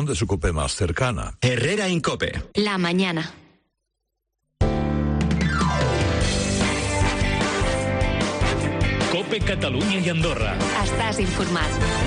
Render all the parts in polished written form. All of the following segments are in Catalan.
de su COPE más cercana. Herrera Incope. La mañana. COPE Catalunya i Andorra. Estàs informat.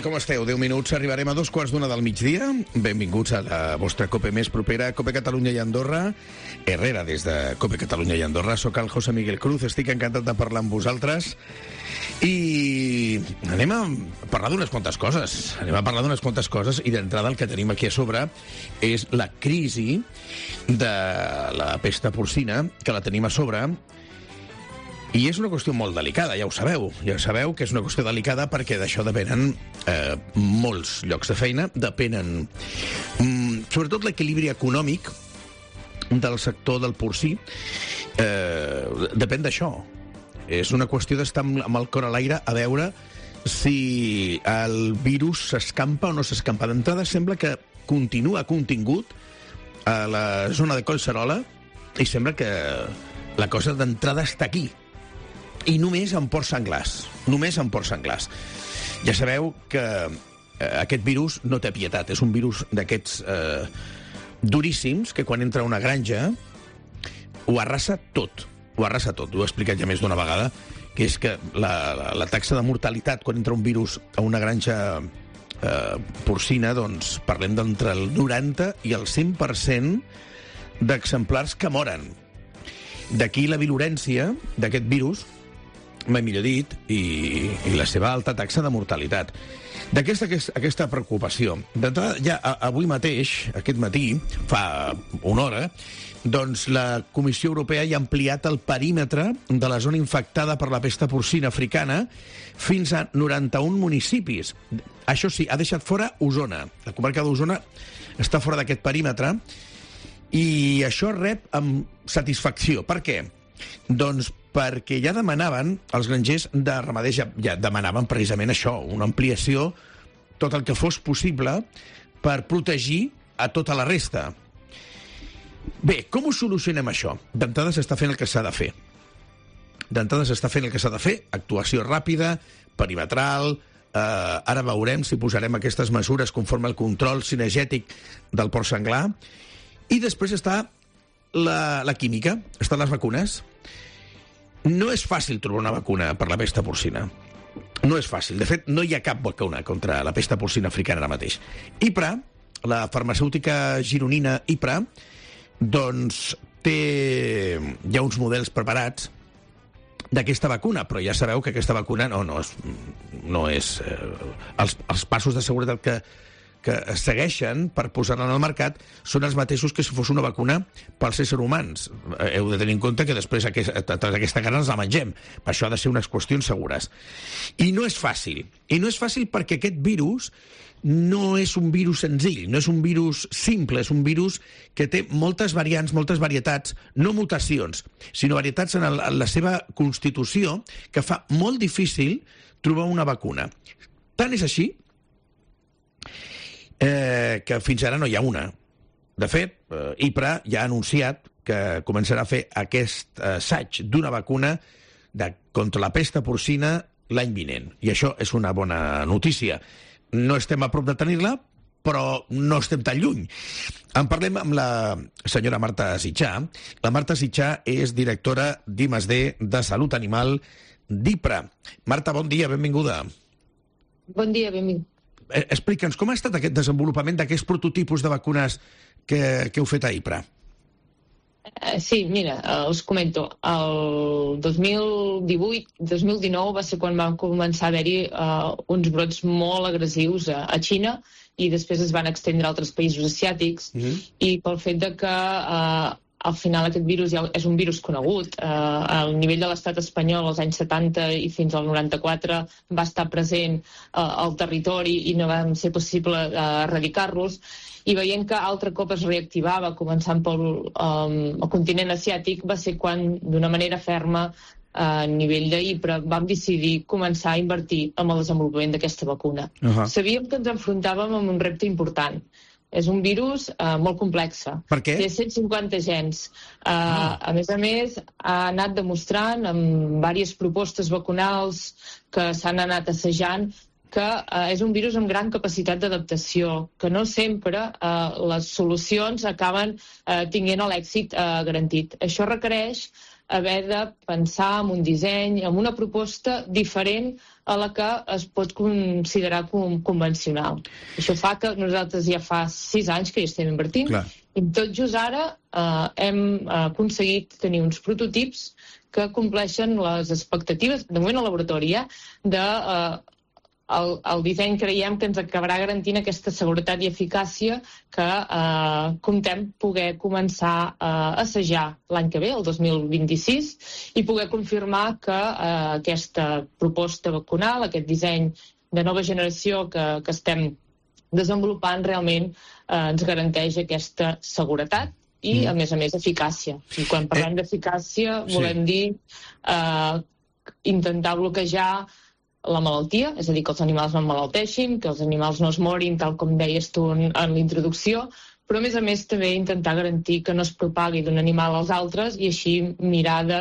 Com esteu? 10 minuts, arribarem a 2:15 del migdia. Benvinguts a la vostra COPE més propera, COPE Catalunya i Andorra. Herrera, des de COPE Catalunya i Andorra. Soc el José Miguel Cruz, estic encantat de parlar amb vosaltres. I anem a parlar d'unes quantes coses. I d'entrada el que tenim aquí a sobre és la crisi de la pesta porcina, que la tenim a sobre. I és una qüestió molt delicada, ja ho sabeu. Ja sabeu que és una qüestió delicada perquè d'això depenen molts llocs de feina, depenen sobretot l'equilibri econòmic del sector del porcí, depèn d'això. És una qüestió d'estar amb el cor a l'aire a veure si el virus s'escampa o no s'escampa. D'entrada sembla que continua contingut a la zona de Collserola i sembla que la cosa d'entrada està aquí. I només en porcs senglars. Ja sabeu que aquest virus no té pietat. És un virus d'aquests duríssims que quan entra a una granja ho arrasa tot. Ho he explicat ja més d'una vegada, que és que la taxa de mortalitat quan entra un virus a una granja porcina, doncs parlem d'entre el 90 i el 100% d'exemplars que moren. D'aquí la virulència d'aquest virus, mai millor dit, i la seva alta taxa de mortalitat. Aquesta preocupació. D'entrada, ja avui mateix, aquest matí, fa una hora, doncs la Comissió Europea ja ha ampliat el perímetre de la zona infectada per la pesta porcina africana fins a 91 municipis. Això sí, ha deixat fora Osona. La comarca d'Osona està fora d'aquest perímetre i això rep amb satisfacció. Per què? Doncs perquè ja demanaven, els grangers de ramaders ja demanaven precisament això, una ampliació, tot el que fos possible, per protegir a tota la resta. Bé, com ho solucionem això? D'entrada s'està fent el que s'ha de fer. Actuació ràpida, perimetral. Ara veurem si posarem aquestes mesures conforme al control cinegètic del porc senglar. I després està la química, estan les vacunes. No és fàcil trobar una vacuna per la pesta porcina. No és fàcil. De fet, no hi ha cap vacuna contra la pesta porcina africana ara mateix. IPRA, la farmacèutica gironina IPRA, doncs té ja uns models preparats d'aquesta vacuna, però ja sabeu que aquesta vacuna no és els passos de seguretat que es segueixen per posar-la al mercat són els mateixos que si fos una vacuna pels éssers humans. Heu de tenir en compte que després aquesta carn ens la mengem. Per això ha de ser unes qüestions segures. I no és fàcil. I no és fàcil perquè aquest virus no és un virus senzill, no és un virus simple, és un virus que té moltes variants, moltes varietats, no mutacions, sinó varietats en la seva constitució que fa molt difícil trobar una vacuna. Tant és així que fins ara no hi ha una. De fet, IPRA ja ha anunciat que començarà a fer aquest assaig d'una vacuna contra la pesta porcina l'any vinent. I això és una bona notícia. No estem a prop de tenir-la, però no estem tan lluny. En parlem amb la senyora Marta Sitjà. La Marta Sitjà és directora d'I+D de Salut Animal d'IPRA. Marta, bon dia, benvinguda. Bon dia, benvingut. Explica'ns, com ha estat aquest desenvolupament d'aquests prototipus de vacunes que heu fet a IPRA? Sí, mira, us comento. El 2018-2019 va ser quan van començar a haver-hi uns brots molt agressius a Xina i després es van estendre a altres països asiàtics i pel fet de que al final aquest virus ja és un virus conegut. Al nivell de l'estat espanyol als anys 70 i fins al 94 va estar present al territori i no va ser possible erradicar-los. I veient que altre cop es reactivava, començant pel continent asiàtic, va ser quan, d'una manera ferma, a nivell d'IPRA, vam decidir començar a invertir en el desenvolupament d'aquesta vacuna. Sabíem que ens enfrontàvem amb un repte important. És un virus molt complex. Per què? Té 150 gens. A més, ha anat demostrant amb diverses propostes vacunals que s'han anat assajant que és un virus amb gran capacitat d'adaptació, que no sempre les solucions acaben tinguent l'èxit garantit. Això requereix haver de pensar en un disseny, en una proposta diferent a la que es pot considerar convencional. Això fa que nosaltres ja fa 6 anys que hi estem invertint. Clar. I tot just ara hem aconseguit tenir uns prototips que compleixen les expectatives, de moment al laboratori, el disseny creiem que ens acabarà garantint aquesta seguretat i eficàcia que comptem poder començar a assajar l'any que ve, el 2026, i poder confirmar que aquesta proposta vacunal, aquest disseny de nova generació que estem desenvolupant realment ens garanteix aquesta seguretat i, a més, eficàcia. I quan parlem d'eficàcia volem dir intentar bloquejar la malaltia, és a dir, que els animals no emmalalteixin, que els animals no es morin, tal com deies tu en l'introducció, però a més també intentar garantir que no es propagui d'un animal als altres i així mirar de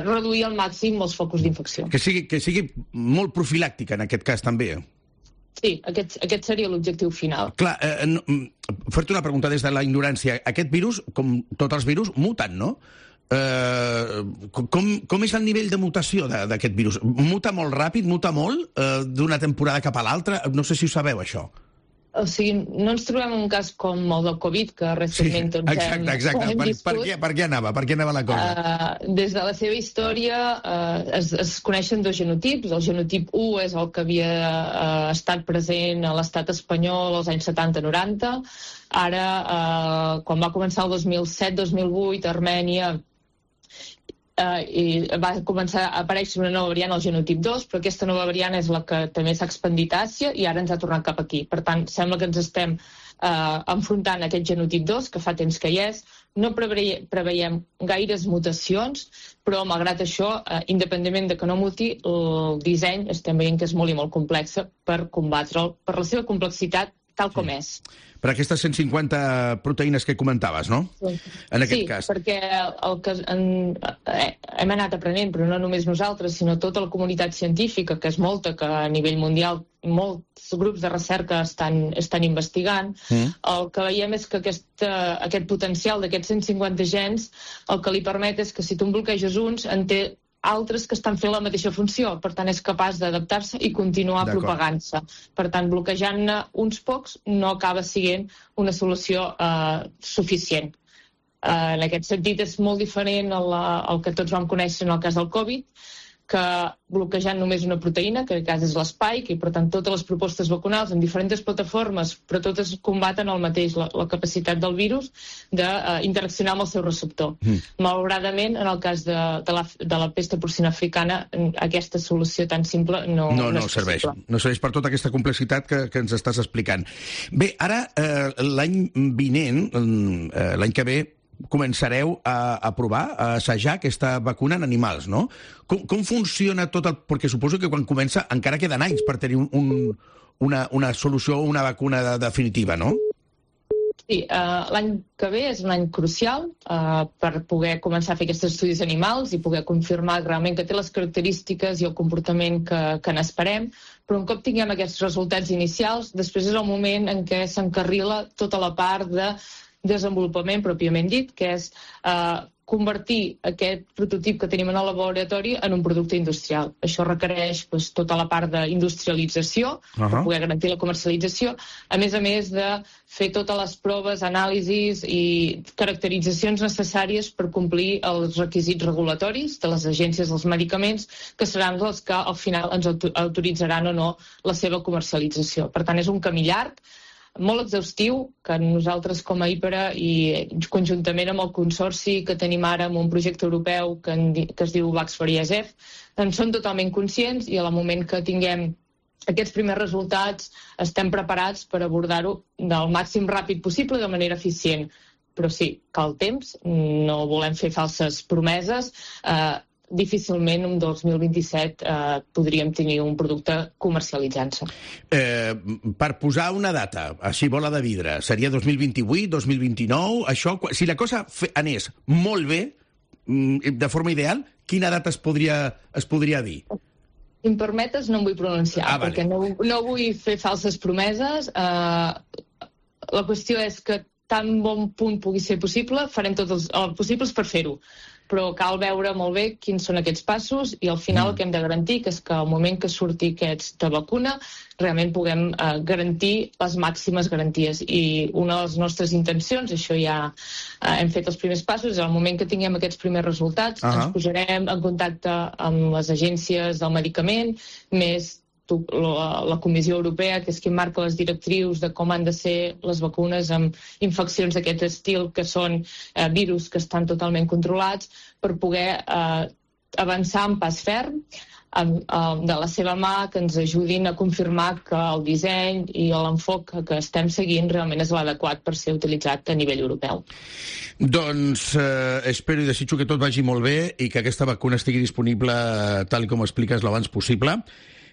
reduir al màxim els focus d'infecció. Que sigui molt profilàctica en aquest cas també. Sí, aquest seria l'objectiu final. Clar, fer-te una pregunta des de la ignorància. Aquest virus, com tots els virus, muten, no? Com és el nivell de mutació d'aquest virus? Muta molt ràpid, muta molt d'una temporada cap a l'altra? No sé si ho sabeu, això. O sigui, no ens trobem un cas com el del Covid, que recentment hem viscut. Per què anava la cosa? Des de la seva història es coneixen 2 genotips. El genotip 1 és el que havia estat present a l'estat espanyol als anys 70-90. Ara, quan va començar el 2007-2008, a Armènia i va començar a aparèixer una nova variant, el genotip 2, però aquesta nova variant és la que també s'ha expandit a Àsia i ara ens ha tornat cap aquí. Per tant, sembla que ens estem enfrontant a aquest genotip 2, que fa temps que hi és. No preveiem gaires mutacions, però malgrat això, independentment de que no muti, el disseny estem veient que és molt i molt complex per combatre'l, per la seva complexitat tal com és. Per aquestes 150 proteïnes que comentaves, no? En aquest cas. Sí, perquè el que hem anat aprenent, però no només nosaltres, sinó tota la comunitat científica, que és molta, que a nivell mundial molts grups de recerca estan investigant, el que veiem és que aquest potencial d'aquests 150 gens el que li permet és que si tu en bloqueges uns, en té altres que estan fent la mateixa funció, per tant és capaç d'adaptar-se i continuar propagant-se. Per tant, bloquejant-ne uns pocs no acaba sent una solució suficient. En aquest sentit és molt diferent al que tots vam conèixer en el cas del Covid, que bloquejant només una proteïna, que en aquest cas és l'spike, i per tant totes les propostes vacunals en diferents plataformes, però totes combaten el mateix, la capacitat del virus d'interaccionar amb el seu receptor. Malauradament, en el cas de la pesta porcina africana, aquesta solució tan simple no serveix. No serveix per tota aquesta complexitat que ens estàs explicant. Bé, ara, l'any vinent, l'any que ve, començareu a provar, a assajar aquesta vacuna en animals, no? Com funciona tot el... Perquè suposo que quan comença encara queden anys per tenir una solució o una vacuna definitiva, no? Sí, l'any que ve és un any crucial per poder començar a fer aquests estudis animals i poder confirmar realment que té les característiques i el comportament que n'esperem, però un cop tinguem aquests resultats inicials, després és el moment en què s'encarrila tota la part de desenvolupament pròpiament dit, que és convertir aquest prototip que tenim en el laboratori en un producte industrial. Això requereix tota la part d'industrialització per poder garantir la comercialització, a més de fer totes les proves, anàlisis i caracteritzacions necessàries per complir els requisits regulatoris de les agències dels medicaments, que seran els que al final ens autoritzaran o no la seva comercialització. Per tant, és un camí llarg, molt exhaustiu, que nosaltres com a IPARA i conjuntament amb el consorci que tenim ara amb un projecte europeu que es diu Vaxfer-ISF, en són totalment conscients i al moment que tinguem aquests primers resultats estem preparats per abordar-ho del màxim ràpid possible de manera eficient. Però sí, cal temps, no volem fer falses promeses, difícilment en 2027 podríem tenir un producte comercialitzant-se. Per posar una data, així bola de vidre, seria 2028, 2029, això, si la cosa anés molt bé, de forma ideal, quina data es podria dir? Si em permetes, no em vull pronunciar, perquè no vull fer falses promeses. La qüestió és que tan bon punt pugui ser possible, farem tots els possibles per fer-ho. Però cal veure molt bé quins són aquests passos i al final el que hem de garantir que és que al moment que surti aquesta vacuna realment puguem garantir les màximes garanties. I una de les nostres intencions, això ja hem fet els primers passos, és al moment que tinguem aquests primers resultats ens posarem en contacte amb les agències del medicament, més la Comissió Europea, que és qui marca les directrius de com han de ser les vacunes amb infeccions d'aquest estil, que són virus que estan totalment controlats, per poder avançar en pas ferm de la seva mà, que ens ajudin a confirmar que el disseny i l'enfoc que estem seguint realment és l'adequat per ser utilitzat a nivell europeu. Doncs espero i desitjo que tot vagi molt bé i que aquesta vacuna estigui disponible tal com expliques l'abans possible.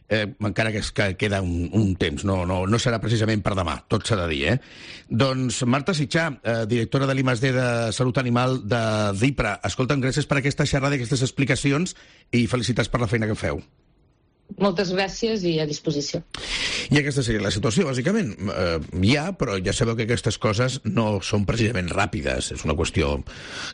Encara que queda un temps, no serà precisament per demà, tot s'ha de dir, Doncs Marta Sitjà, directora de l'I+D de Salut Animal de DIPRA, escolta'm, gràcies per aquesta xerrada i aquestes explicacions i felicitats per la feina que feu. Moltes gràcies i a disposició. I aquesta seria la situació, bàsicament. Però ja sabeu que aquestes coses no són precisament ràpides. És una qüestió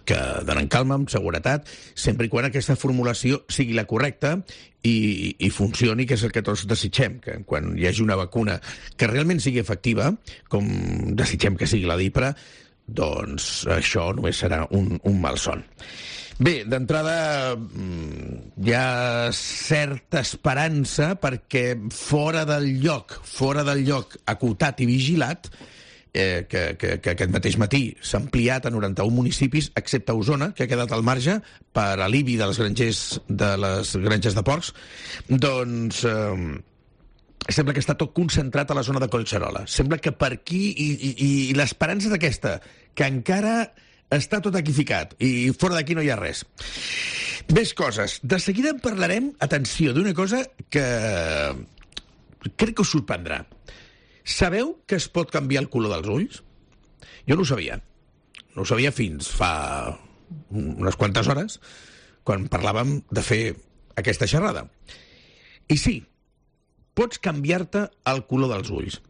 que d'anar en calma, amb seguretat, sempre i quan aquesta formulació sigui la correcta i funcioni, que és el que tots desitgem, que quan hi hagi una vacuna que realment sigui efectiva, com desitgem que sigui la DIPRA, doncs això només serà un malson. Bé, d'entrada hi ha certa esperança perquè fora del lloc acotat i vigilat, que aquest mateix matí s'ha ampliat a 91 municipis, excepte Osona, que ha quedat al marge per alibi de les granges de porcs, doncs sembla que està tot concentrat a la zona de Collserola. Sembla que per aquí, i l'esperança és aquesta, que encara està tot aquí ficat, i fora d'aquí no hi ha res. Més coses. De seguida en parlarem, atenció, d'una cosa que crec que us sorprendrà. Sabeu que es pot canviar el color dels ulls? Jo no ho sabia. No ho sabia fins fa unes quantes hores, quan parlàvem de fer aquesta xerrada. I sí, pots canviar-te el color dels ulls.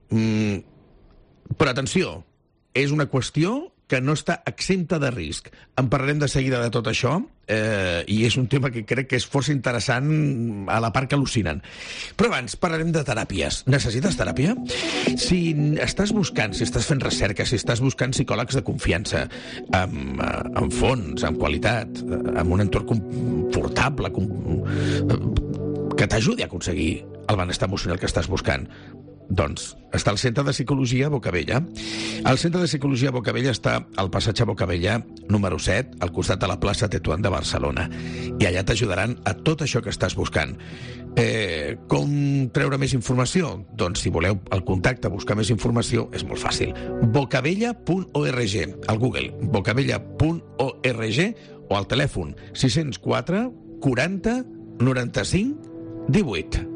Però atenció, és una qüestió que no està exempta de risc. En parlarem de seguida de tot això, i és un tema que crec que és força interessant a la part que al·lucinen. Però abans parlarem de teràpies. Necessites teràpia? Si estàs fent recerca, si estàs buscant psicòlegs de confiança, amb fons, amb qualitat, amb un entorn confortable, que t'ajudi a aconseguir el benestar emocional que estàs buscant, doncs està al Centre de Psicologia Bocabella. El Centre de Psicologia Bocabella està al passatge Bocabella número 7, al costat de la plaça Tetuán de Barcelona. I allà t'ajudaran a tot això que estàs buscant. Com treure més informació? Doncs si voleu el contacte, buscar més informació, és molt fàcil. bocabella.org, al Google, bocabella.org, o al telèfon 604 40 95 18.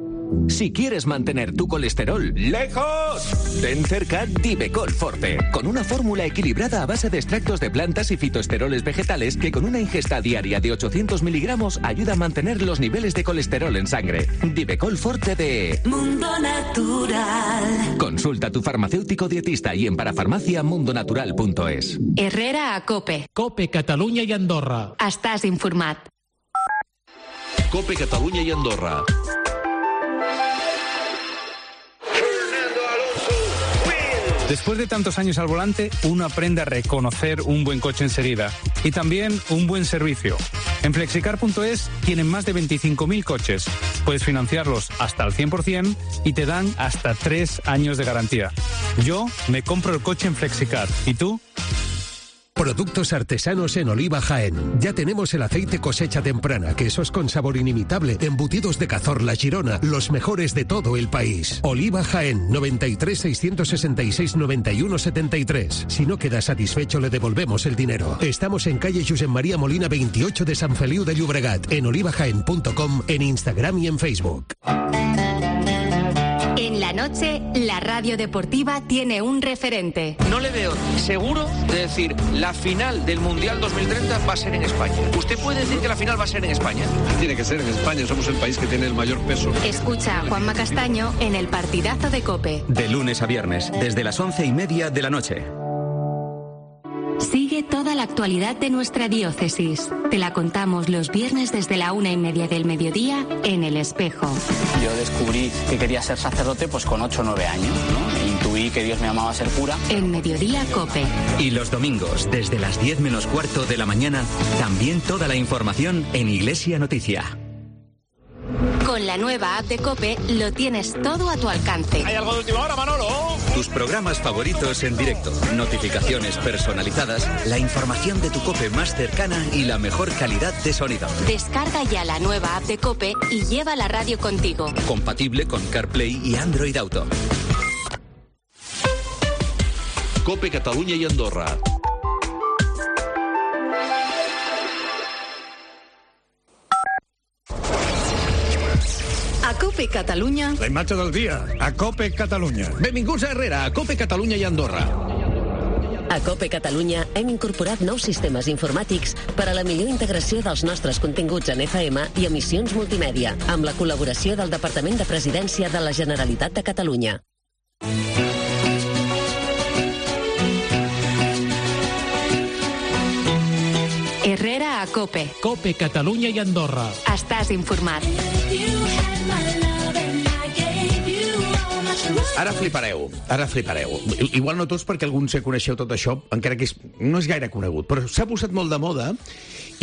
Si quieres mantener tu colesterol lejos, ten cerca Divecol Forte, con una fórmula equilibrada a base de extractos de plantas y fitoesteroles vegetales que con una ingesta diaria de 800 miligramos ayuda a mantener los niveles de colesterol en sangre. Divecol Forte de Mundo Natural. Consulta Consulta a tu farmacéutico dietista y en parafarmacia.mundonatural.es. Herrera a COPE. COPE, Catalunya i Andorra. Estàs informat. COPE Catalunya i Andorra. Después de tantos años al volante, uno aprende a reconocer un buen coche enseguida y también un buen servicio. En Flexicar.es tienen más de 25.000 coches. Puedes financiarlos hasta al 100% y te dan hasta 3 años de garantía. Yo me compro el coche en Flexicar. ¿Y tú? Productos artesanos en Oliva Jaén. Ya tenemos el aceite cosecha temprana, quesos con sabor inimitable, embutidos de Cazorla, Girona, los mejores de todo el país. Oliva Jaén, 93 666 91 73. Si no queda satisfecho, le devolvemos el dinero. Estamos en calle Josep María Molina 28 de Sant Feliu de Llobregat, en olivajaen.com, en Instagram y en Facebook. En la noche, la radio deportiva tiene un referente. No le veo seguro de decir la final del Mundial 2030 va a ser en España. ¿Usted puede decir que la final va a ser en España? Tiene que ser en España, somos el país que tiene el mayor peso. Escucha a Juanma Castaño en el partidazo de COPE. De lunes a viernes, desde las 11:30 de la noche. Sigue toda la actualidad de nuestra diócesis. Te la contamos los viernes desde la 1:30 del mediodía en El Espejo. Yo descubrí que quería ser sacerdote pues con 8 o 9 años, ¿no? Intuí que Dios me llamaba a ser cura. En Mediodía COPE. Y los domingos, desde las 10 menos cuarto de la mañana, también toda la información en Iglesia Noticia. Con la nueva app de COPE lo tienes todo a tu alcance. ¿Hay algo de última hora, Manolo? Tus programas favoritos en directo, notificaciones personalizadas, la información de tu COPE más cercana y la mejor calidad de sonido. Descarga ya la nueva app de COPE y lleva la radio contigo. Compatible con CarPlay y Android Auto. COPE Catalunya i Andorra. A COPE Catalunya. La imatge del dia, a COPE Catalunya. Benvinguts a Herrera, a COPE Catalunya i Andorra. A COPE Catalunya hem incorporat nous sistemes informàtics per a la millor integració dels nostres continguts en FM i emissions multimèdia, amb la col·laboració del Departament de Presidència de la Generalitat de Catalunya. Herrera a COPE. COPE, Catalunya i Andorra. Estàs informat. Ara flipareu. Igual no tots, perquè alguns ja coneixeu tot això, encara que no és gaire conegut, però s'ha posat molt de moda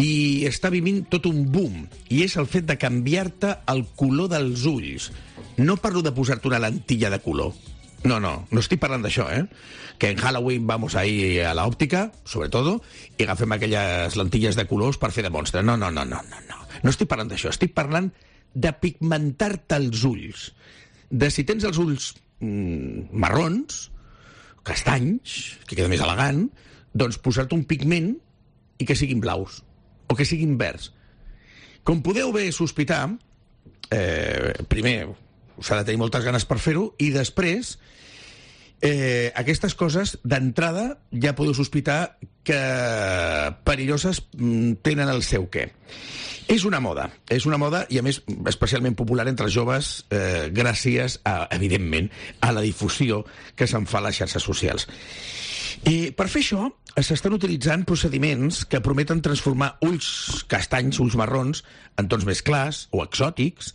i està vivint tot un boom, i és el fet de canviar-te el color dels ulls. No parlo de posar-te una lentilla de color. No estic parlant d'això, que en Halloween vamos ahí a la òptica, sobretot, i agafem aquelles lentilles de colors per fer de monstre. No. No estic parlant d'això, estic parlant de pigmentar-te els ulls. De si tens els ulls marrons, castanys, que queda més elegant, doncs posar-te un pigment i que siguin blaus, o que siguin verds. Com podeu bé sospitar, primer s'ha de tenir moltes ganes per fer-ho, i després aquestes coses d'entrada ja podeu sospitar que perilloses tenen el seu què. És una moda i a més especialment popular entre els joves gràcies a, evidentment, a la difusió que se'n fa a les xarxes socials. I per fer això s'estan utilitzant procediments que prometen transformar ulls castanys, ulls marrons, en tons més clars o exòtics.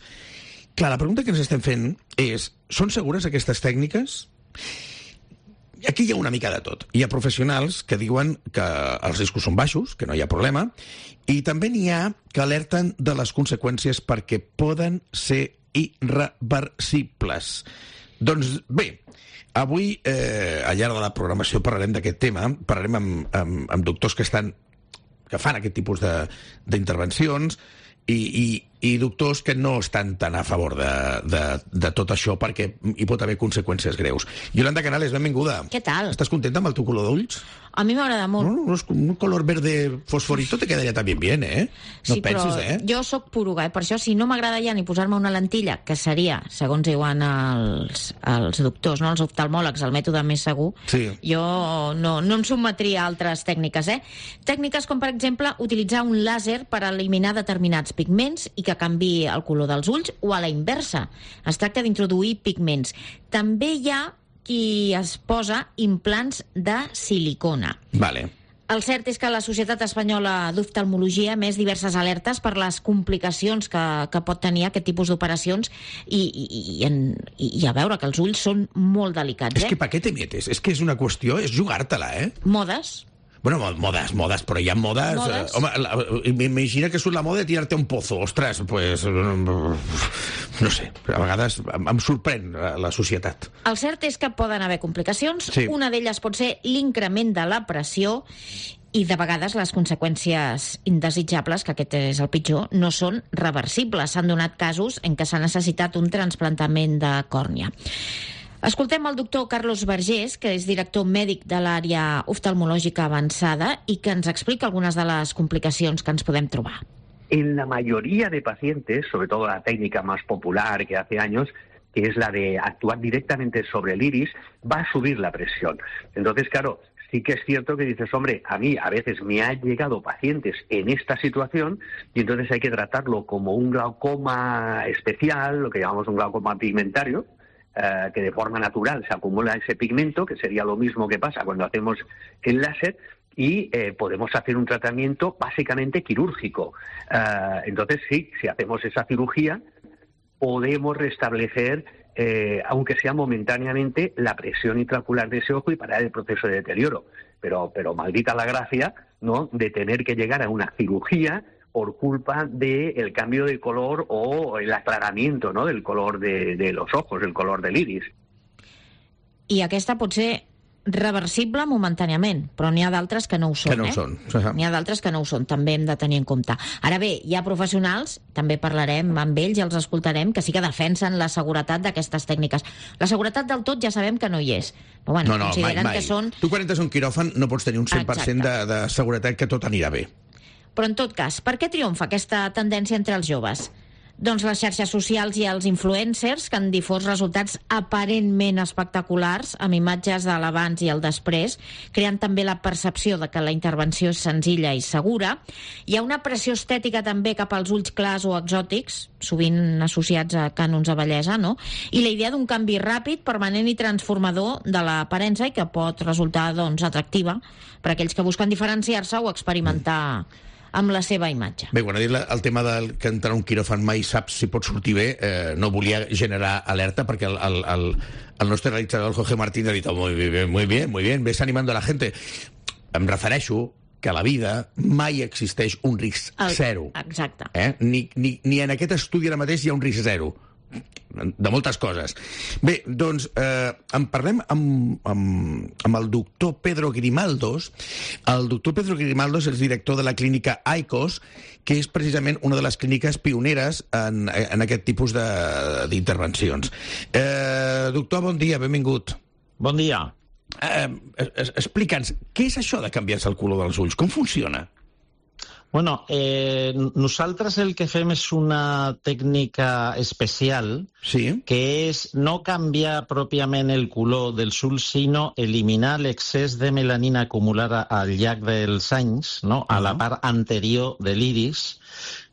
Clar, la pregunta que ens estem fent és: són segures aquestes tècniques? Aquí hi ha una mica de tot. Hi ha professionals que diuen que els riscos són baixos, que no hi ha problema, i també n'hi ha que alerten de les conseqüències perquè poden ser irreversibles. Doncs bé, avui, al llarg de la programació, parlarem d'aquest tema, parlarem amb doctors que fan aquest tipus d'intervencions, i doctors que no estan tan a favor de tot això perquè hi pot haver conseqüències greus. Yolanda Canales, benvinguda. Què tal? ¿Estás contenta amb el teu color d'ulls? A mi m'agrada molt. No, un color verde fosforito te quedaria también bien, ¿eh? No sí, pensis, però jo sóc poruga, per això si no m'agrada ja ni posar-me una lentilla, que seria, segons diuen els doctors, no, els oftalmòlegs, el mètode més segur, sí. Jo no em sotmetria a altres tècniques, Tècniques com, per exemple, utilitzar un làser per eliminar determinats pigments i que canviï el color dels ulls, o a la inversa. Es tracta d'introduir pigments. També hi ha qui es posa implants de silicona. Vale. El cert és que la Societat Espanyola d'Oftalmologia emet diverses alertes per les complicacions que pot tenir aquest tipus d'operacions i a veure que els ulls són molt delicats. És que pa què te metes? És que és una qüestió, és jugar-te-la, Modes. Bueno, modes, però hi ha modes... home, m'imagina que surt la moda de tirar-te un pozo. Ostres, pues... no sé, a vegades em sorprèn la societat. El cert és que poden haver complicacions. Sí. Una d'elles pot ser l'increment de la pressió i de vegades les conseqüències indesitjables, que aquest és el pitjor, no són reversibles. S'han donat casos en què s'ha necessitat un trasplantament de còrnia. Escoltem el doctor Carlos Vergés, que és director mèdic de l'àrea oftalmològica avançada i que ens explica algunes de les complicacions que ens podem trobar. En la mayoría de pacientes, sobre todo la técnica más popular que hace años, que es la de actuar directamente sobre el iris, va a subir la presión. Entonces, claro, sí que es cierto que dices, hombre, a mí a veces me han llegado pacientes en esta situación y entonces hay que tratarlo como un glaucoma especial, lo que llamamos un glaucoma pigmentario, que de forma natural se acumula ese pigmento, que sería lo mismo que pasa cuando hacemos el láser, y podemos hacer un tratamiento básicamente quirúrgico. Entonces, sí, si hacemos esa cirugía, podemos restablecer, aunque sea momentáneamente, la presión intraocular de ese ojo y parar el proceso de deterioro. Pero maldita la gracia, ¿no?, de tener que llegar a una cirugía por culpa del cambio de color o el aclaramiento, ¿no?, del color de los ojos, el color del iris. I aquesta pot ser reversible momentàniament, però n'hi ha d'altres que no ho són. Que no ho són. N'hi ha d'altres que no ho són, també hem de tenir en compte. Ara bé, hi ha professionals, també parlarem amb ells i els escoltarem, que sí que defensen la seguretat d'aquestes tècniques. La seguretat del tot ja sabem que no hi és, però bueno, consideren mai. Que són... Tu quan entres a un quiròfan no pots tenir un 100% de seguretat que tot anirà bé. Però en tot cas, per què triomfa aquesta tendència entre els joves? Doncs les xarxes socials i els influencers que han difós resultats aparentment espectaculars amb imatges de l'abans i el després, creant també la percepció de que la intervenció és senzilla i segura. Hi ha una pressió estètica també cap als ulls clars o exòtics, sovint associats a cànons de bellesa, no? I la idea d'un canvi ràpid, permanent i transformador de l'aparença i que pot resultar, doncs, atractiva per a aquells que busquen diferenciar-se o experimentar amb la seva imatge. Bé, quan ha dit el tema del que entrar a un quiròfan mai saps si pot sortir bé, no volia generar alerta perquè el nostre realitzador, el Jorge Martín, ha dit muy bien, ves animando a la gente. Em refereixo que a la vida mai existeix un risc zero. Exacte. Ni en aquest estudi ara mateix hi ha un risc zero. De moltes coses. Bé, doncs en parlem amb el doctor Pedro Grimaldos. El doctor Pedro Grimaldos és director de la clínica ICOS, que és precisament una de les clíniques pioneres en aquest tipus d'intervencions. Doctor, bon dia, benvingut. Bon dia. Explica'ns, què és això de canviar-se el color dels ulls? Com funciona? Bueno, nosaltres el que fem és una tècnica especial, que és no canviar pròpiament el color dels ulls, sinó eliminar l'excés de melanina acumulada al llarg dels anys, no?, a la part anterior de l'iris,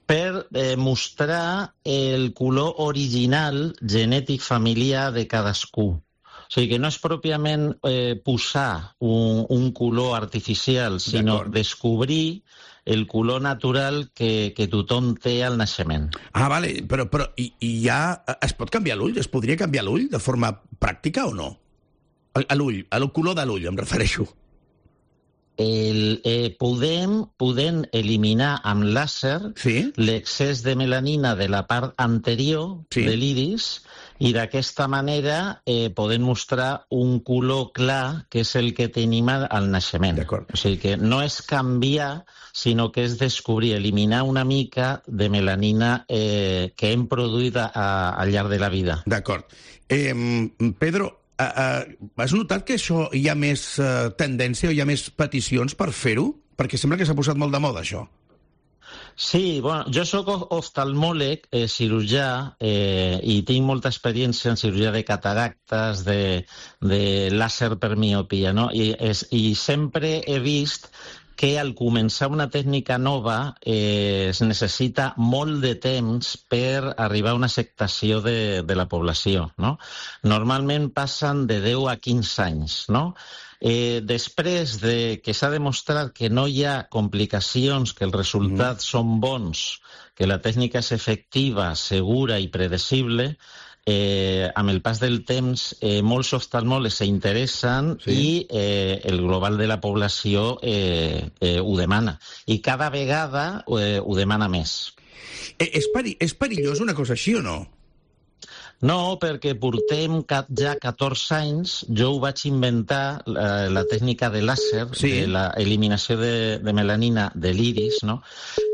per mostrar el color original genètic familiar de cadascú. O sigui que no és pròpiament posar un color artificial, sinó descobrir el color natural que tothom té al naixement. Ah, vale, però ja es pot canviar l'ull? Es podria canviar l'ull de forma pràctica o no? L'ull, el color de l'ull, em refereixo. Podem eliminar amb làser l'excés de melanina de la part anterior de l'iris i d'aquesta manera podem mostrar un color clar que és el que tenim al naixement. O sigui que no és canviar, sinó que és descobrir, eliminar una mica de melanina que hem produït al llarg de la vida. D'acord. Pedro, has notat que això hi ha més tendència o hi ha més peticions per fer-ho? Perquè sembla que s'ha posat molt de moda, això. Sí, bueno, jo soc oftalmòleg, cirurgià, i tinc molta experiència en cirurgia de cataractes, de làser per miopia, no? I sempre he vist que al començar una tècnica nova es necessita molt de temps per arribar a una acceptació de la població, no? Normalment passen de 10 a 15 anys, no? Després de que s'ha demostrat que no hi ha complicacions, que els resultats són bons, que la tècnica és efectiva, segura i predecible, amb el pas del temps molts oftalmòlegs s'interessen i el global de la població ho demana. I cada vegada ho demana més. És perillós una cosa així o no? No, perquè portem ja 14 anys, jo ho vaig inventar, la tècnica de làser, de l'eliminació de melanina de l'iris, no?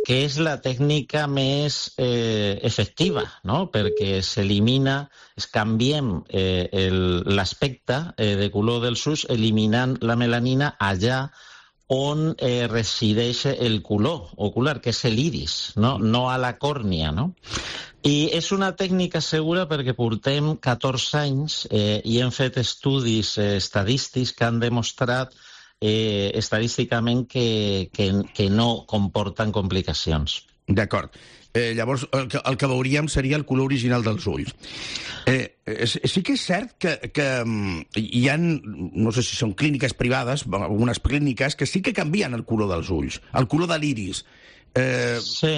Que és la tècnica més efectiva, no? Perquè s'elimina, canviem l'aspecte de color dels ulls eliminant la melanina allà on resideix el color ocular, que és l'iris, no a la còrnia, no? I és una tècnica segura perquè portem 14 anys i hem fet estudis estadístics que han demostrat estadísticament que no comporten complicacions. D'acord. Llavors, el que veuríem seria el color original dels ulls. Sí que és cert que hi ha, no sé si són clíniques privades, algunes clíniques, que sí que canvien el color dels ulls, el color de l'iris. Sí,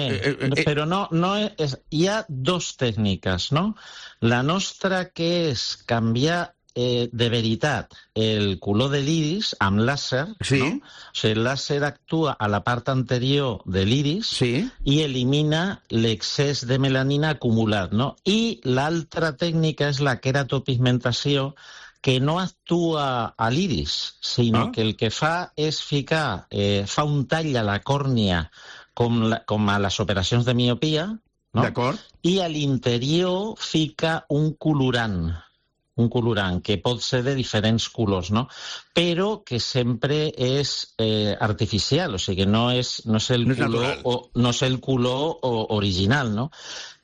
però no és, hi ha dos tècniques, no? La nostra, que és canviar de veritat el color de l'iris amb làser, no? O sigui, el làser actua a la part anterior de l'iris i elimina l'excés de melanina acumulat, no? I l'altra tècnica és la queratopigmentació, que no actua a l'iris, sinó que el que fa és ficar, fa un tall a la còrnia com a les operacions de miopia, no? I a l'interior fica un colorant que pot ser de diferents colors, no? Però que sempre és artificial, o sigui que no és el color original, no?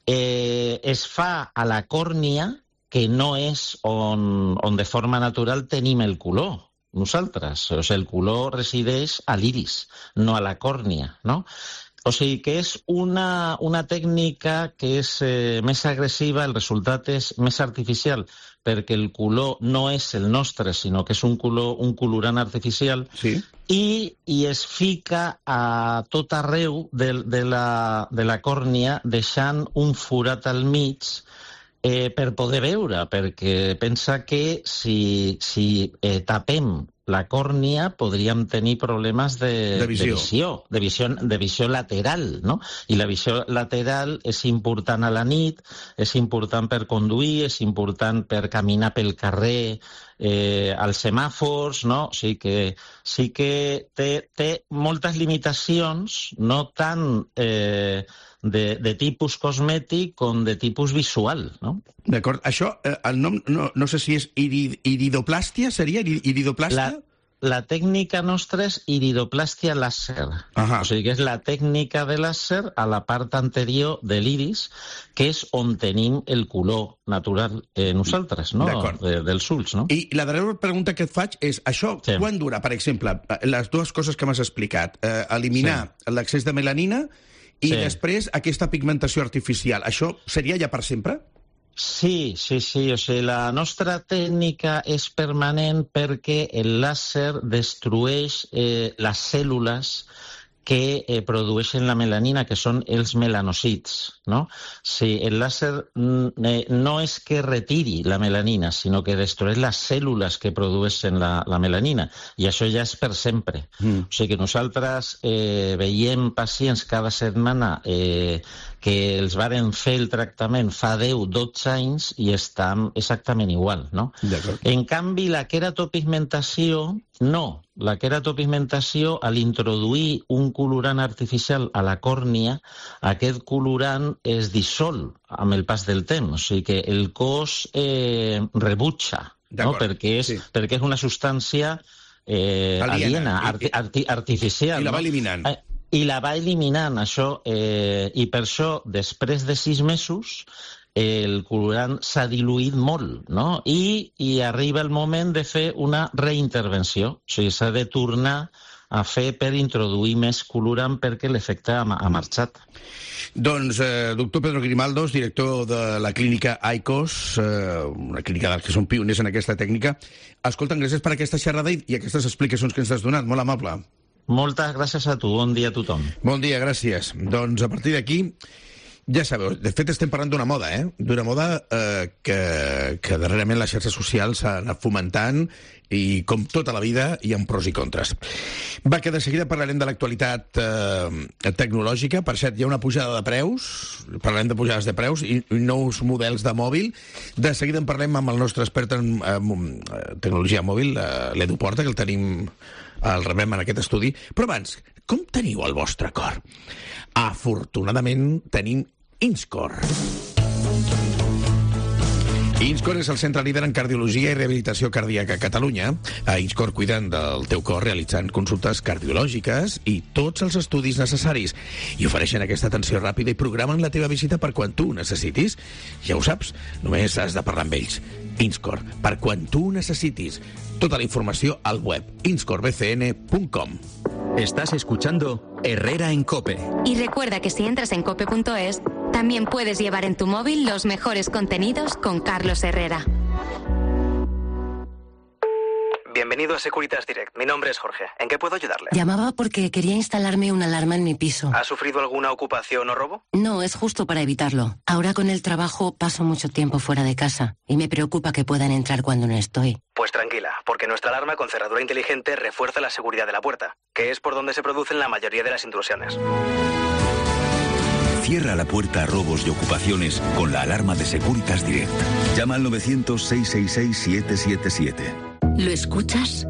Es fa a la còrnia, que no és on de forma natural tenim el color nosaltres. O sigui, el color resideix a l'iris, no a la còrnia, no? O sigui que és una tècnica que és més agressiva, el resultat és més artificial, perquè el color no és el nostre, sinó que és un colorant artificial, i es fica a tot arreu de la còrnia, deixant un forat al mig per poder veure, perquè pensa que si tapem la còrnia podríem tenir problemes de visió lateral, no? I la visió lateral és important a la nit, és important per conduir, és important per caminar pel carrer, als semàfors, no? O sigui que sí que té moltes limitacions, no tant de tipus cosmètic com de tipus visual, no? D'acord. Això, el nom, no sé si és iridoplàstia, seria iridoplàstia? La tècnica nostra és iridoplàstia làser. O sigui que és la tècnica de làser a la part anterior de l'iris, que és on tenim el color natural nosaltres, no? Dels ulls, no? I la darrera pregunta que et faig és, això quan dura, per exemple, les dues coses que m'has explicat, eliminar l'excés de melanina i després aquesta pigmentació artificial, això seria ja per sempre? Sí. O sigui, la nostra tècnica és permanent perquè el làser destrueix les cèl·lules que produeixen la melanina, que són els melanòcits, no? Sí, el làser no és que retiri la melanina, sinó que destrueix les cèl·lules que produeixen la melanina, i això ja és per sempre. O sigui que nosaltres veiem pacients cada setmana que els varen fer el tractament fa 10-12 anys i estan exactament igual, no? En canvi, la queratopigmentació, no. La queratopigmentació, al introduir un colorant artificial a la còrnia, aquest colorant es dissol amb el pas del temps, o sigui que el cos rebutja, no? Perquè és una substància aliena, artificial. I la va eliminant. I la va eliminant, això, i per això, després de 6 mesos, el colorant s'ha diluït molt, no? I arriba el moment de fer una reintervenció. O sigui, s'ha de tornar a fer per introduir més colorant perquè l'efecte ha marxat. Doncs, doctor Pedro Grimaldos, director de la clínica ICOS, una clínica dels que són pioners en aquesta tècnica. Escolta, gràcies per aquesta xerrada i aquestes explicacions que ens has donat. Molt amable. Moltes gràcies a tu. Bon dia a tothom. Bon dia, gràcies. Doncs a partir d'aquí, ja sabeu, de fet estem parlant d'una moda, d'una moda que darrerament les xarxes socials s'han anat fomentant i com tota la vida hi ha pros i contres. Va, que de seguida parlarem de l'actualitat tecnològica. Per cert, hi ha una pujada de preus, parlarem de pujades de preus i nous models de mòbil. De seguida en parlem amb el nostre expert en tecnologia mòbil, l'Edu Porta, que el tenim, el rebem en aquest estudi. Però abans, com teniu el vostre cor? Afortunadament tenim Inscor. Inscor és el centre líder en cardiologia i rehabilitació cardíaca a Catalunya. A Inscor cuiden del teu cor realitzant consultes cardiològiques i tots els estudis necessaris. I ofereixen aquesta atenció ràpida i programen la teva visita per quan tu necessitis. Ja ho saps, només has de parlar amb ells. Inscor, per quan tu necessitis. Tota la informació al web inscorbcn.com. Estás escuchando Herrera en COPE. Y recuerda que si entras en cope.es, también puedes llevar en tu móvil los mejores contenidos con Carlos Herrera. Bienvenido a Securitas Direct. Mi nombre es Jorge. ¿En qué puedo ayudarle? Llamaba porque quería instalarme una alarma en mi piso. ¿Ha sufrido alguna ocupación o robo? No, es justo para evitarlo. Ahora con el trabajo paso mucho tiempo fuera de casa y me preocupa que puedan entrar cuando no estoy. Pues tranquila, porque nuestra alarma con cerradura inteligente refuerza la seguridad de la puerta, que es por donde se producen la mayoría de las intrusiones. Cierra la puerta a robos y ocupaciones con la alarma de Securitas Direct. Llama al 900-666-777. ¿Lo escuchas?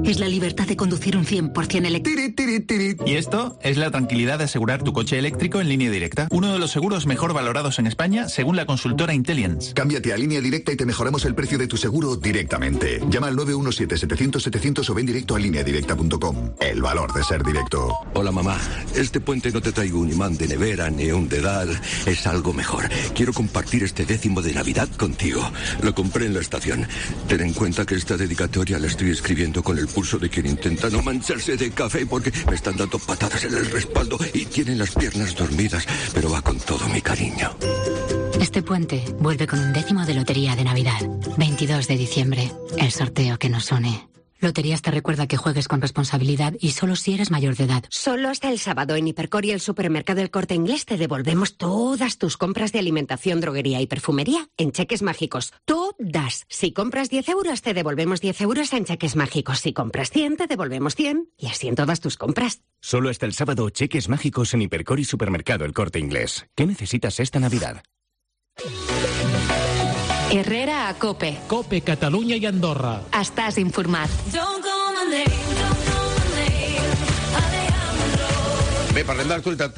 Es la libertad de conducir un 100% eléctrico. Y esto es la tranquilidad de asegurar tu coche eléctrico en Línea Directa. Uno de los seguros mejor valorados en España, según la consultora Intelliance. Cámbiate a Línea Directa y te mejoramos el precio de tu seguro directamente. Llama al 917-700-700 o ven directo a lineadirecta.com. El valor de ser directo. Hola, mamá. Este puente no te traigo un imán de nevera ni un dedal. Es algo mejor. Quiero compartir este 10º de Navidad contigo. Lo compré en la estación. Ten en cuenta que esta dedicatoria la estoy escribiendo con el pulso de quien intenta no mancharse de café porque me están dando patadas en el respaldo y tienen las piernas dormidas, pero va con todo mi cariño. Este puente vuelve con un 10º de Lotería de Navidad. 22 de diciembre, el sorteo que nos une. Loterías te recuerda que juegues con responsabilidad y solo si eres mayor de edad. Solo hasta el sábado en Hipercor y el supermercado El Corte Inglés te devolvemos todas tus compras de alimentación, droguería y perfumería en cheques mágicos. Todas. Si compras 10 euros, te devolvemos 10 euros en cheques mágicos. Si compras 100, te devolvemos 100. Y así en todas tus compras. Solo hasta el sábado, cheques mágicos en Hipercor y supermercado El Corte Inglés. ¿Qué necesitas esta Navidad? Herrera a COPE. COPE, Catalunya i Andorra. Estàs informat. Bé, parlem de l'actualitat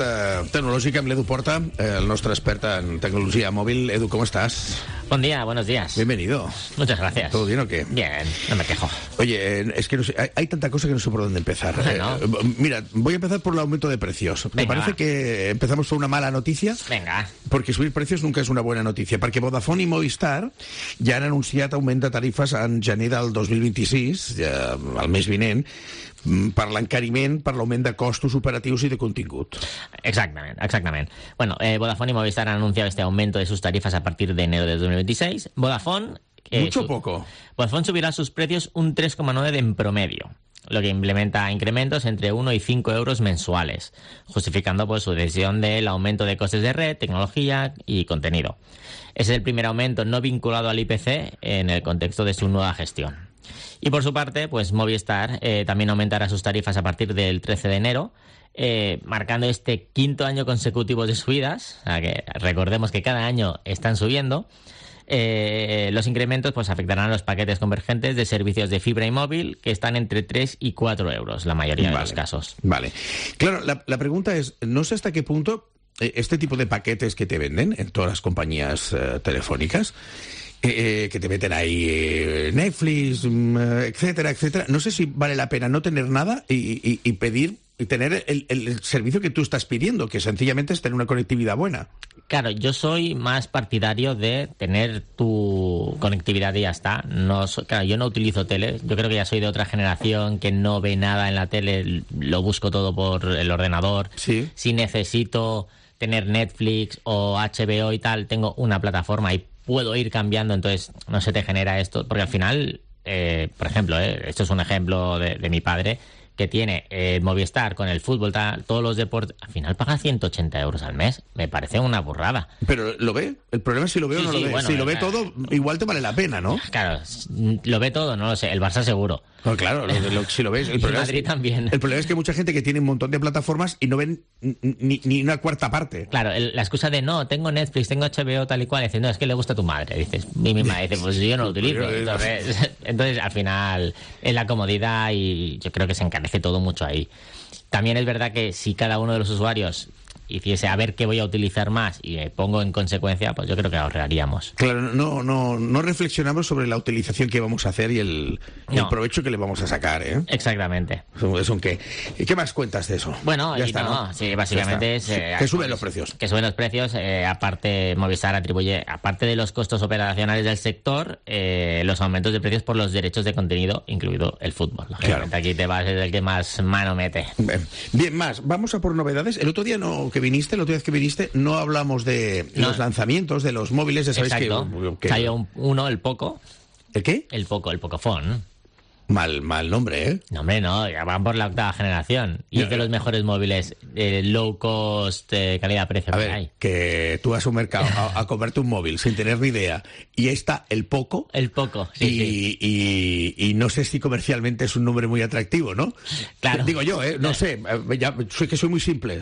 tecnològica amb l'Edu Porta, el nostre expert en tecnologia mòbil. Edu, ¿cómo estás? Buen día, buenos días. Bienvenido. Muchas gracias. ¿Todo bien o qué? Bien, no me quejo. Oye, es que no sé, hay tanta cosa que no sé por dónde empezar. Bueno. Mira, voy a empezar por el aumento de precios. Me parece que empezamos por una mala noticia. Venga. Porque subir precios nunca és una bona notícia, perquè Vodafone i Movistar ja han anunciat augment de tarifes en gener del 2026, el mes vinent, per l'encariment, per l'augment de costos operatius i de contingut. Exactamente. Bueno, Vodafone y Movistar han anunciado este aumento de sus tarifas a partir de enero de 2026. Vodafone... Mucho poco. Vodafone subirá sus precios un 3,9% en promedio, lo que implementa incrementos entre 1 y 5 euros mensuales, justificando pues su decisión del aumento de costes de red, tecnología y contenido. Es el primer aumento no vinculado al IPC en el contexto de su nueva gestión. Y por su parte, pues Movistar también aumentará sus tarifas a partir del 13 de enero, marcando este 5º año consecutivo de subidas. O sea que recordemos que cada año están subiendo. Los incrementos pues afectarán a los paquetes convergentes de servicios de fibra y móvil, que están entre 3 y 4 euros, la mayoría de los casos. Vale. Claro, la pregunta es, no sé hasta qué punto este tipo de paquetes que te venden en todas las compañías telefónicas, que te meten ahí Netflix, etcétera, no sé si vale la pena no tener nada y pedir y tener el servicio que tú estás pidiendo, que sencillamente es tener una conectividad buena. Claro, yo soy más partidario de tener tu conectividad y ya está. Claro, yo no utilizo tele. Yo creo que ya soy de otra generación que no ve nada en la tele. Lo busco todo por el ordenador. Sí. Si necesito tener Netflix o HBO y tal, tengo una plataforma y puedo ir cambiando. Entonces no se te genera esto. Porque al final, por ejemplo, esto es un ejemplo de mi padre, que tiene Movistar con el fútbol, todos los deportes, al final paga 180 euros al mes. Me parece una burrada. ¿Pero lo ve? El problema es si lo ve o no lo ve. Bueno, si lo ve todo, igual te vale la pena, ¿no? Claro, lo ve todo, no lo sé. El Barça seguro. No, claro, si lo ves. El problema Madrid también. El problema es que hay mucha gente que tiene un montón de plataformas y no ven ni una cuarta parte. Claro, la excusa de no, tengo Netflix, tengo HBO, tal y cual. Dices, no, es que le gusta a tu madre. Dices, y mi madre dice, pues yo no lo utilizo. Entonces, al final, es la comodidad y yo creo que se encarece todo mucho ahí. También es verdad que si cada uno de los usuarios hiciese a ver qué voy a utilizar más y me pongo en consecuencia, pues yo creo que ahorraríamos. Claro, no reflexionamos sobre la utilización que vamos a hacer y el provecho que le vamos a sacar, ¿eh? Exactamente. ¿Qué más cuentas de eso? Bueno, ya está, ¿no? Sí, básicamente es... que suben los precios. Que suben los precios, aparte Movistar atribuye, aparte de los costos operacionales del sector, los aumentos de precios por los derechos de contenido, incluido el fútbol. Lógicamente, claro. Aquí te vas, es el que más mano mete. Bien, más, vamos a por novedades. El otro día la última vez que viniste, no hablamos de los lanzamientos de los móviles, ya sabéis. Exacto. Que salió uno, el Poco. ¿El qué? El Pocophone. Mal nombre, ¿eh? No, hombre, no, ya van por la 8ª generación. Y es de los mejores móviles low cost, calidad-precio. A ver, que tú vas a un mercado a comprarte un móvil sin tener ni idea, y está el Poco. El Poco, sí. Y no sé si comercialmente es un nombre muy atractivo, ¿no? Claro. Digo yo, no sé, sé que soy muy simple,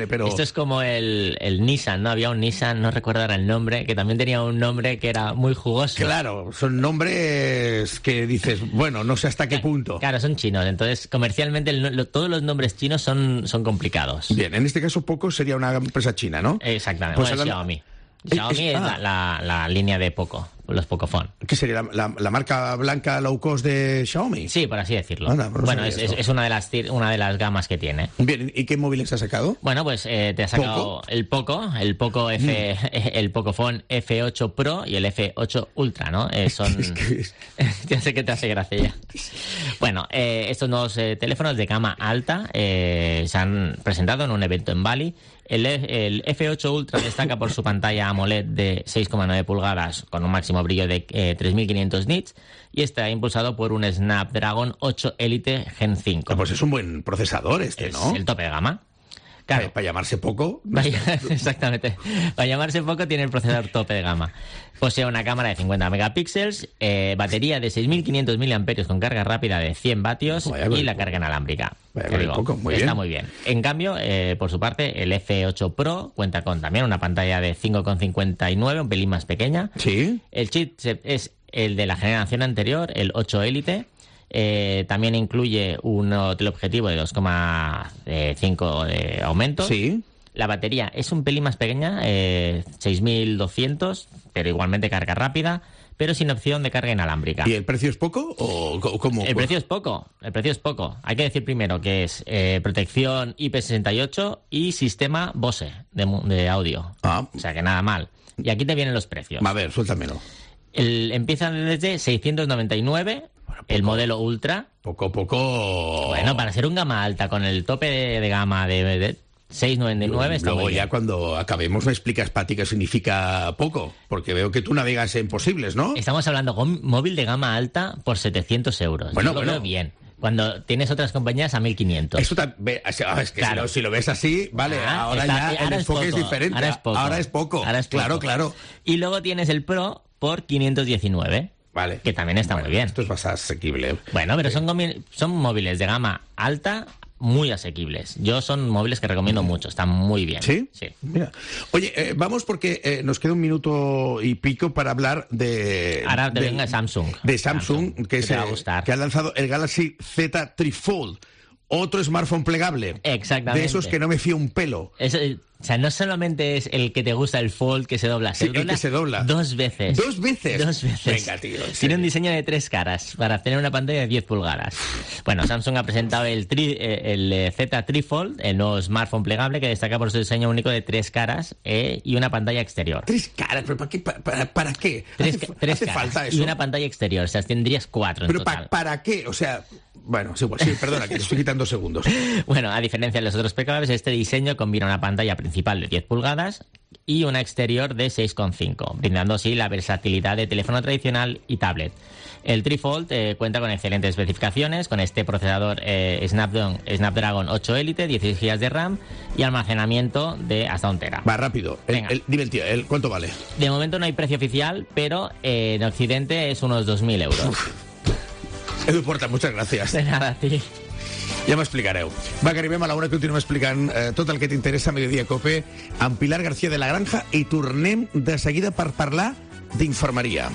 pero... Esto es como el Nissan, ¿no? Había un Nissan, no recuerdo ahora el nombre, que también tenía un nombre que era muy jugoso. Claro, nombres que dices, bueno, no sé hasta qué punto. Claro, son chinos, entonces comercialmente todos los nombres chinos son complicados. Bien, en este caso Poco sería una empresa china, ¿no? Exactamente, pues Xiaomi. Xiaomi es la línea de Poco, los Pocophone. ¿Qué sería la marca blanca low cost de Xiaomi? Sí, por así decirlo. Bueno, es una de las gamas que tiene. Bien, ¿y qué móviles ha sacado? Bueno, pues te ha sacado el Pocophone F8 Pro y el F8 Ultra, ¿no? Ya sé que te hace gracia ya. Bueno, estos nuevos teléfonos de gama alta se han presentado en un evento en Bali. El F8 Ultra destaca por su pantalla AMOLED de 6,9 pulgadas con un máximo brillo de 3500 nits y está impulsado por un Snapdragon 8 Elite Gen 5. Pues es un buen procesador ¿no? Es el tope de gama. Claro. Para llamarse Poco. Exactamente. Para llamarse Poco tiene el procesador tope de gama. Posee una cámara de 50 megapíxeles, batería de 6.500 mAh con carga rápida de 100 vatios y la carga inalámbrica. Está muy bien. En cambio, por su parte, el F8 Pro cuenta con también una pantalla de 5,59, un pelín más pequeña. Sí. El chip es el de la generación anterior, el 8 Elite. También incluye un teleobjetivo de 2,5 de aumento. Sí. La batería es un pelín más pequeña, 6.200, pero igualmente carga rápida, pero sin opción de carga inalámbrica. ¿Y el precio es poco o cómo? El precio es poco. Hay que decir primero que es protección IP68 y sistema Bose de audio. O sea que nada mal. Y aquí te vienen los precios. A ver, suéltamelo. Empiezan desde 699... El modelo Ultra. Poco. Bueno, para ser un gama alta con el tope de gama de 699 está luego muy bien. Ya cuando acabemos me explicas, Pati, qué significa poco, porque veo que tú navegas en posibles, ¿no? Estamos hablando con móvil de gama alta por 700 euros. Bueno, veo bien. Cuando tienes otras compañías a 1.500. Eso es que claro. si lo ves así, vale, ahora el enfoque es diferente. Ahora es poco. Claro. Y luego tienes el Pro por 519. Vale. Que también está muy bien. Esto es más asequible. Bueno, pero son móviles de gama alta muy asequibles. Son móviles que recomiendo mucho, están muy bien. ¿Sí? Sí. Mira. Oye, vamos porque nos queda un minuto y pico para hablar de... Ahora venga Samsung. De Samsung, que ha lanzado el Galaxy Z Trifold. otro smartphone plegable. Exactamente. De esos que no me fío un pelo. O sea, no solamente es el que te gusta el Fold que se dobla, sí, el que se dobla 2 veces. ¿2 veces? 2 veces. Venga, tío. Tiene un diseño de 3 caras para tener una pantalla de 10 pulgadas. Bueno, Samsung ha presentado el Z Trifold, el nuevo smartphone plegable que destaca por su diseño único de 3 caras y una pantalla exterior. 3 caras, pero ¿para qué? ¿Hace falta eso? Y una pantalla exterior, o sea, tendrías 4 en pero total. ¿Para qué? O sea... Bueno, sí, perdona, que te estoy quitando segundos. Bueno, a diferencia de los otros plegables, este diseño combina una pantalla principal de 10 pulgadas y una exterior de 6,5, brindando así la versatilidad de teléfono tradicional y tablet. El Trifold cuenta con excelentes especificaciones, con este procesador Snapdragon 8 Elite, 16 GB de RAM y almacenamiento de hasta 1 TB. Va, rápido. Dime el tío, ¿cuánto vale? De momento no hay precio oficial, pero en Occidente es unos 2.000 euros. Edu Porta, muchas gràcies. De nada, a ti. Ja m'explicareu. Va, que arribem a l'una, continuem explicant tot el que t'interessa a Mediodía Cope amb Pilar García de la Granja i tornem de seguida per parlar d'infermeria.